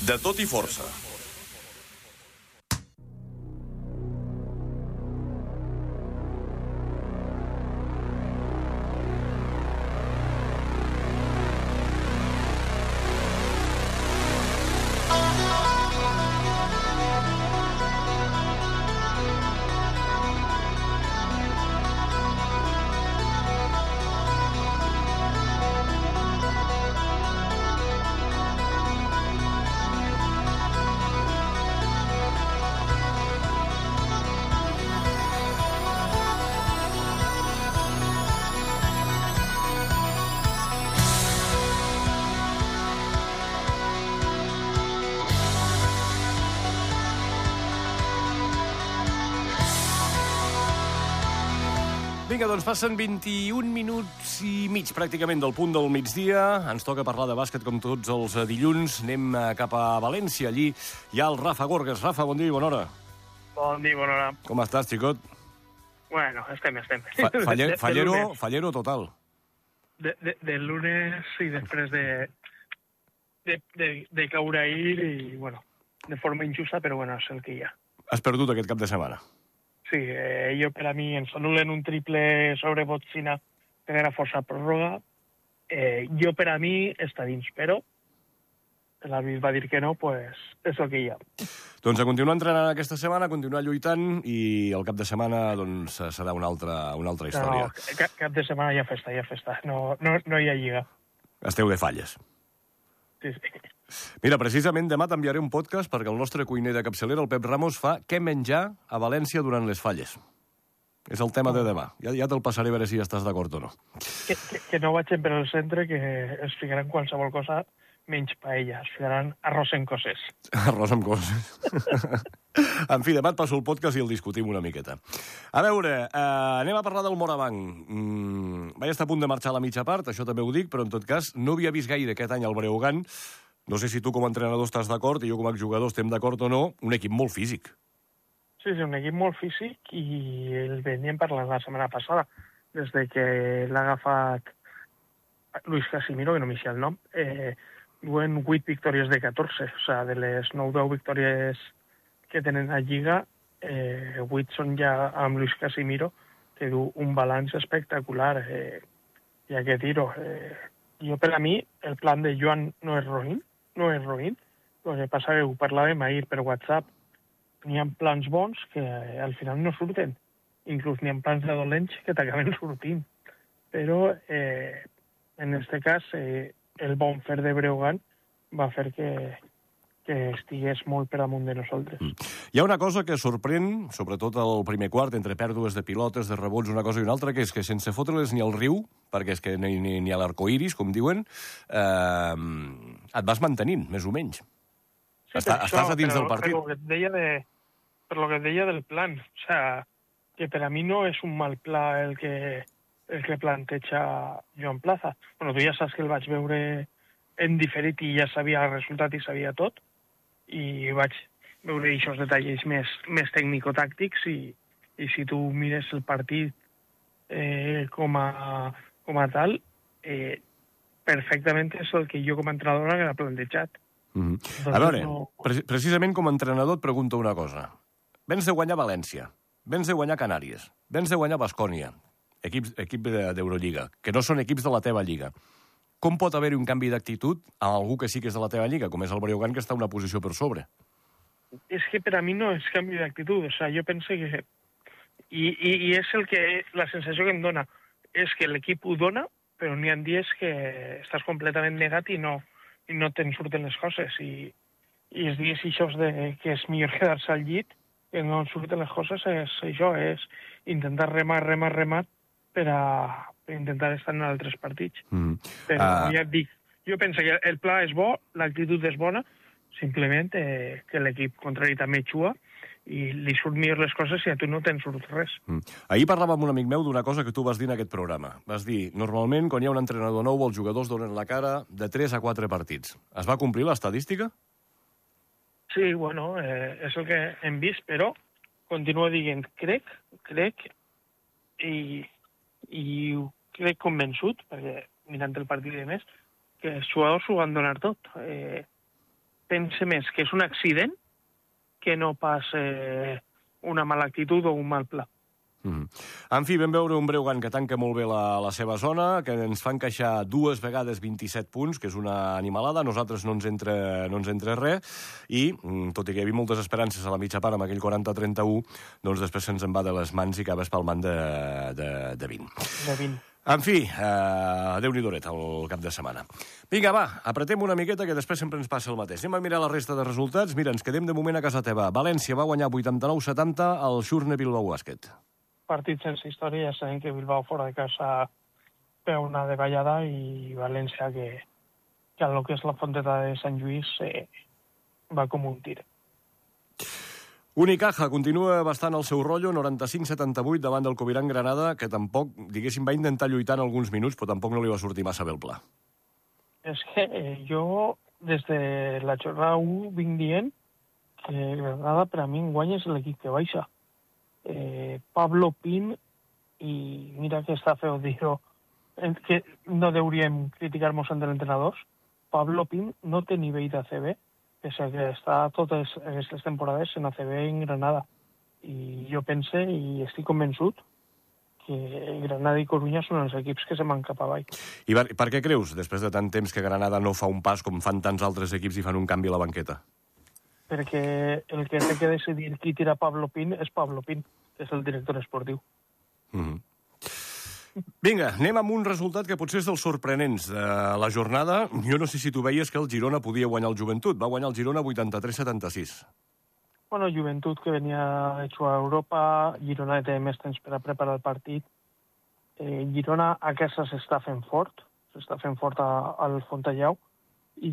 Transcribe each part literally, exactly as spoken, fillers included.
De tot i força. Vinga, doncs passen vint-i-un minuts i mig pràcticament del punt del migdia. Ens toca parlar de bàsquet com tots els dilluns. Anem cap a València. Allí hi ha el Rafa Gorgas. Rafa, bon dia i bona hora. Bon dia i bona hora. Com estàs, xicot? Bueno, estem, estem. Fa faller, de, de, fallero, de fallero total. De, de, de lunes i després de, de, de, de caure ahir i, bueno, de forma injusta, però bueno, és el que hi ha. Has perdut aquest cap de setmana. Sí, eh, jo per a mi ens anulen un triple sobre Botzina que era força pròrroga. Eh, jo per a mi està dins, però l'àrbit va dir que no, pues és el que hi ha. Doncs a continuar entrenant aquesta setmana, a continuar lluitant i el cap de setmana doncs, serà una altra, una altra història. No, cap, cap de setmana hi ha festa, hi ha festa. No, no, no hi ha lliga. Esteu de falles. Sí, sí. Mira, precisament demà t'enviaré un podcast perquè el nostre cuiner de capçalera, el Pep Ramos, fa què menjar a València durant les falles. És el tema de demà. Ja, ja te'l passaré a veure si ja estàs d'acord o no. Que, que, que no vagin per al centre, que es ficaran qualsevol cosa menys paella. Es ficaran arròs en coses. Arròs amb coses. En fi, demà et passo el podcast i el discutim una miqueta. A veure, eh, anem a parlar del Morabanc. Mm, vaig estar a punt de marxar a la mitja part, això també ho dic, però en tot cas no havia vist gaire aquest any el Breogán. No sé si tu com a entrenador estàs d'acord i jo com a jugador estem d'acord o no, un equip molt físic. Sí, sí, un equip molt físic i el veníem parlant la setmana passada, des de que l'ha agafat Luis Casimiro, que no m'hi sé el nom, eh, duen vuit victòries de catorze, o sigui, de les nou deu victòries que tenen a Lliga, eh, vuit són ja amb Luis Casimiro, que du un balanç espectacular. Eh, I aquest tiro, eh, jo per a mi, el plan de Joan no és roïn, no és roïn. El que passa que ho parlàvem ahir per WhatsApp. N'hi ha plans bons que al final no surten. Inclús n'hi ha plans de dolents que t'acaben sortint. Però, eh, en aquest cas, eh, el bon fer de Breogán va fer que, que estigués molt per damunt de nosaltres. Mm. Hi ha una cosa que sorprèn, sobretot al primer quart, entre pèrdues de pilotes, de rebots, una cosa i una altra, que és que sense fotre-les ni al riu, perquè és que ni, ni, ni a l'arcoiris, com diuen, eh, et vas mantenint, més o menys. Sí, Està, això, estàs a dins però, del partit. Per lo que et deia, de, per lo que et deia del plan. O sea, que per a mi no és un mal pla el que, el que planteja Joan Plaza. Bueno, tu ja saps que el vaig veure en diferit i ja sabia el resultat i sabia tot, i vaig veure aquests detalls més, més tècnico-tàctics i, i si tu mires el partit eh, com, a, com a tal, eh, perfectament és el que jo com a entrenador haguera plantejat. Mm-hmm. A veure, no... pre precisament com a entrenador et pregunto una cosa. Vens de guanyar València, vens de guanyar Canàries, vens de guanyar Baskònia, equip, equip d'Eurolliga, que no són equips de la teva lliga. Com pot haver-hi un canvi d'actitud a algú que sí que és de la teva lliga, com és el Breogán, que està una posició per sobre? És que per a mi no és canvi d'actitud. O sigui, jo penso que... I, i, I és el que... La sensació que em dona és que l'equip ho dona, però n'hi ha dies que estàs completament negat i no, i no te'n surten les coses. I, i els dies això de que és millor quedar-se al llit, que no surten les coses, és això, és intentar remar, remar, remar per a, per intentar estar en altres partits. Mm. Però uh... ja et dic, jo penso que el pla és bo, l'actitud és bona, simplement eh, que l'equip contrari també xua i li surt millor les coses i a tu no te'n surt res. Mm. Ahir parlava amb un amic meu d'una cosa que tu vas dir en aquest programa. Vas dir, normalment, quan hi ha un entrenador nou, els jugadors donen la cara de tres a quatre partits. Es va complir l'estadística? Sí, bueno, eh, és el que hem vist, però continuo dient, crec, crec, i, i crec convençut, perquè mirant el partit de més, que els jugadors ho van donar tot. Eh, pense més que és un accident que no pas eh, una mala actitud o un mal pla. Mm. En fi, vam veure un Breogán que tanca molt bé la, la seva zona, que ens fa encaixar dues vegades vint-i-set punts, que és una animalada. A nosaltres no ens entra, no ens entra res, i, tot i que hi havia moltes esperances a la mitja part amb aquell quaranta a trenta-u, doncs després se'ns en va de les mans i acaba espalmant de, de, de vint. De vint. En fi, eh, Déu-n'hi-doret el cap de setmana. Vinga, va, apretem una miqueta, que després sempre ens passa el mateix. Anem a mirar la resta de resultats. Mira, ens quedem de moment a casa teva. València va guanyar vuitanta-nou a setanta al Xurne Bilbao Bàsquet. Partit sense història, ja sabem que Bilbao fora de casa veu una davallada i València que, que a lo que és la Fonteta de Sant Lluís eh, va com un tir. Unicaja continua bastant el seu rotllo, noranta-cinc a setanta-vuit davant del Covirán Granada, que tampoc, diguéssim, va intentar lluitar en alguns minuts, però tampoc no li va sortir massa bé el pla. És que eh, jo, des de la jornada u, vinc dient que Granada per a mi enguany és l'equip que baixa. Eh, Pablo Pin, i mira que està feo dir-ho, que no hauríem criticar-nos entre entrenadors, Pablo Pin no té nivell d'A C B, pese que està totes aquestes temporades en A C B en Granada. I jo pense, i estic convençut, que Granada i Corunya són els equips que se van cap avall. I per, per què creus, després de tant temps, que Granada no fa un pas com fan tants altres equips i fan un canvi a la banqueta? Perquè el que té que decidir qui tira Pablo Pin és Pablo Pin, que és el director esportiu. Mm-hmm. Vinga, anem amb un resultat que potser és dels sorprenents de la jornada. Jo no sé si tu veies que el Girona podia guanyar el Joventut. Va guanyar el Girona vuitanta-tres a setanta-sis. Bueno, Joventut, que venia de jugar a Europa, Girona té més temps per a preparar el partit. Eh, Girona a casa s'està fent fort, s'està fent fort a, al Fontellau, i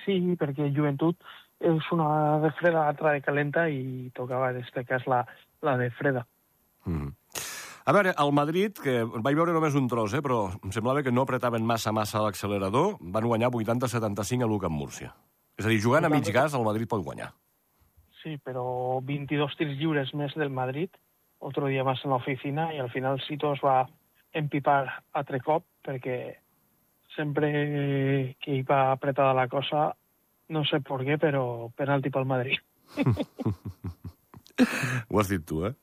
sí, perquè Joventut és una de freda, altra de calenta, i tocava en aquest cas la, la de freda. Mm. A veure, el Madrid, que vaig veure només un tros, eh, però em semblava que no apretaven massa massa l'accelerador, van guanyar vuitanta a setanta-cinc a l'U C A Múrcia. És a dir, jugant a mig gas, el Madrid pot guanyar. Sí, però vint-i-dos tirs lliures més del Madrid, otro dia més en l'oficina, i al final Sito es va empipar altre cop, perquè sempre que hi va apretada la cosa, no sé per què, però penalti pel Madrid. Ho has dit tu, eh?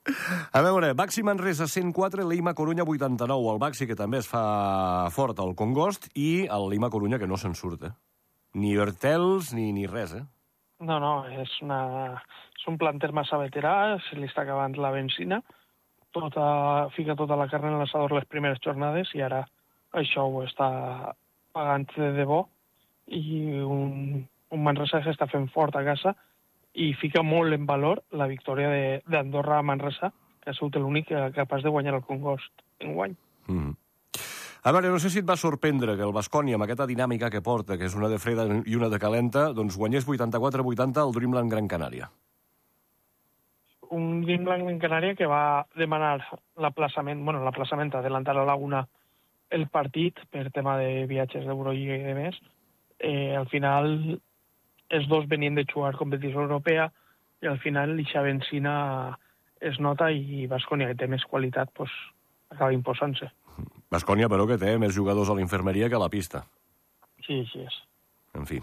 A veure, Baxi Manresa cent quatre, l'Eima Corunya vuitanta-nou. El Baxi, que també es fa fort al Congost, i el l'Eima Corunya, que no se'n surt, eh? Ni Hurtels, ni, ni res, eh? No, no, és, una, és un planter massa veterà, se li està acabant la benzina, tota, fica tota la carn en l'assador les primeres jornades, i ara això ho està pagant de debò, i un, un Manresa que està fent fort a casa, i fica molt en valor la victòria d'Andorra a Manresa, que ha sigut l'únic capaç de guanyar el Congost en guany. Mm. A veure, no sé si et va sorprendre que el Baskonia, amb aquesta dinàmica que porta, que és una de freda i una de calenta, doncs guanyés vuitanta-quatre a vuitanta al Dreamland Gran Canària. Un Dreamland Gran Canària que va demanar l'aplaçament, bueno, l'aplaçament, adelantar a Laguna el partit per tema de viatges d'Eurolliga i de més. Eh, al final, els dos venien de jugar competició europea, i al final l'Ixa Benzina es nota, i Baskonia, que té més qualitat, pues, acaba imposant-se. Baskonia, però, que té més jugadors a l'infermeria que a la pista. Sí, així és. En fi.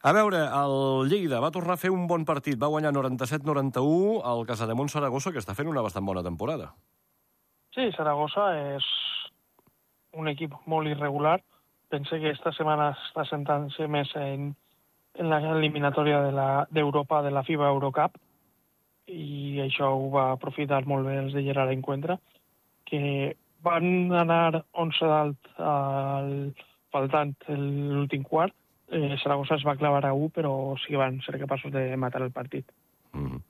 A veure, el Lleida va tornar a fer un bon partit. Va guanyar noranta-set a noranta-u al Casademont Saragossa, que està fent una bastant bona temporada. Sí, Saragossa és un equip molt irregular. Pense que esta setmana està sentant-se més en en l'eliminatòria d'Europa de, de la FIBA Eurocup, i això ho va aprofitar molt bé els de Gerard Encuentra, que van anar onze dalt al faltant l'últim quart. Eh, Saragossa es va clavar a u, però sí que van ser capaços de matar el partit. Mm.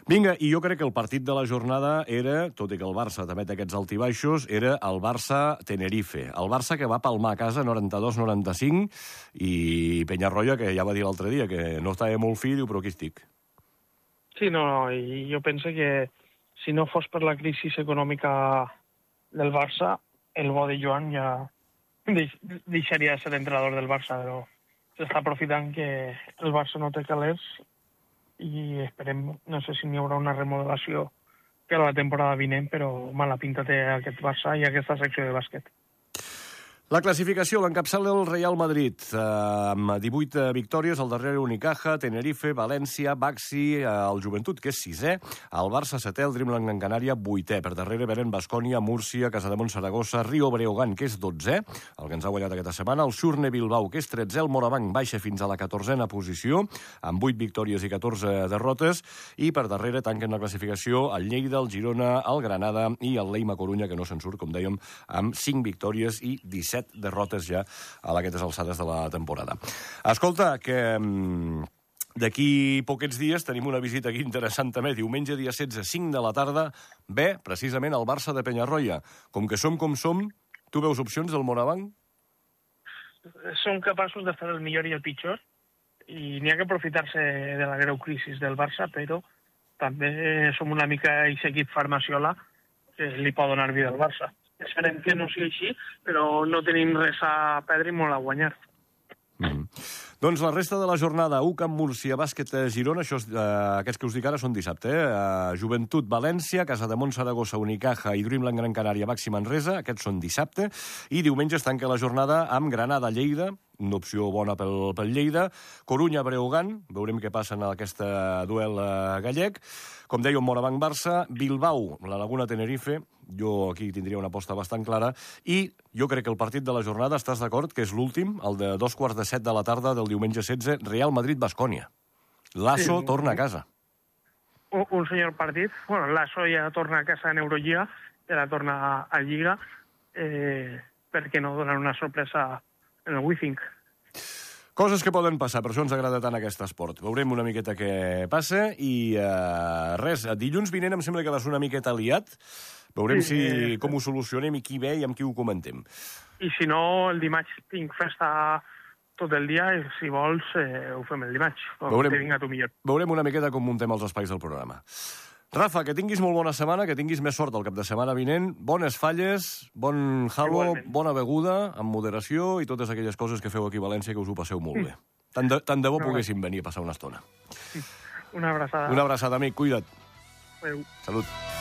Vinga, i jo crec que el partit de la jornada era, tot i que el Barça també té aquests altibaixos, era el Barça-Tenerife. El Barça que va palmar a casa noranta-dos a noranta-cinc, i Peñarroya, que ja va dir l'altre dia que no estava molt fi, diu, però aquí estic. Sí, no, no, i jo penso que si no fos per la crisi econòmica del Barça, el bo de Joan ja deixaria de ser entrenador del Barça, però s'està aprofitant que el Barça no té calés, i esperem, no sé si n'hi haurà una remodelació per a la temporada vinent, però mala pinta té aquest Barça i aquesta secció de bàsquet. La classificació l'encapçala el Real Madrid, eh, amb divuit victòries, al darrere Unicaja, Tenerife, València, Baxi, eh, el Joventut, que és sisè, el Barça setè, el Dreamland Gran Canària, vuitè. Per darrere venen Baskonia, Múrcia, Casademont, Saragossa, Rio Breogán, que és dotzè, el que ens ha guanyat aquesta setmana, el Surne Bilbao, que és tretzè, el Morabanc baixa fins a la catorzena posició, amb vuit victòries i catorze derrotes, i per darrere tanquen la classificació el Lleida, el Girona, el Granada i el Leima Corunya, que no se'n surt, com dèiem, amb cinc victòries i disset derrotes ja a aquestes alçades de la temporada. Escolta, que d'aquí poquets dies tenim una visita aquí interessant també. Diumenge, dia setze, cinc de la tarda, ve precisament el Barça de Penyarroia. Com que som com som, tu veus opcions del Morabanc? Som capaços de fer el millor i el pitjor, i n'hi ha que aprofitar-se de la greu crisi del Barça, però també som una mica aquest equip farmaciola que li pot donar vida al Barça. Esperem que no sigui així, però no tenim res a perdre i molt a guanyar. Mm. Doncs la resta de la jornada, U C A M Múrcia, Bàsquet Girona, això, eh, aquests que us dic ara són dissabte, eh? Uh, Joventut València, Casademont Saragossa, Unicaja i Dreamland Gran Canària, Baxi Manresa, aquests són dissabte, i diumenge es tanca la jornada amb Granada Lleida, una opció bona pel, pel Lleida, Corunya Breogán, veurem què passa en aquest duel uh, gallec, com deia, Morabanc Barça, Bilbao, la Laguna Tenerife, jo aquí tindria una aposta bastant clara, i jo crec que el partit de la jornada, estàs d'acord, que és l'últim, el de dos quarts de set de la tarda del diumenge setze, Real Madrid-Baskonia. Lasso sí, torna a casa. Un, un senyor partit. Bueno, Lasso ja torna a casa en Eurolliga, ja la torna a, a Lliga, eh, perquè no donar una sorpresa en el Withink. Coses que poden passar, per això ens agrada tant aquest esport. Veurem una miqueta què passa i uh, res, dilluns vinent em sembla que va ser una miqueta liat. Veurem sí, si, eh, com ho solucionem i qui ve i amb qui ho comentem. I si no, el dimarts tinc festa tot el dia i si vols eh, ho fem el dimarts. Veurem, tu millor. veurem una miqueta com muntem els espais del programa. Rafa, que tinguis molt bona setmana, que tinguis més sort el cap de setmana vinent, bones falles, bon halo, bona beguda, amb moderació i totes aquelles coses que feu aquí a València que us ho passeu molt bé. Tant de, tant de bo poguéssim venir a passar una estona. Una abraçada. Una abraçada, amic, cuida't. Adéu. Salut.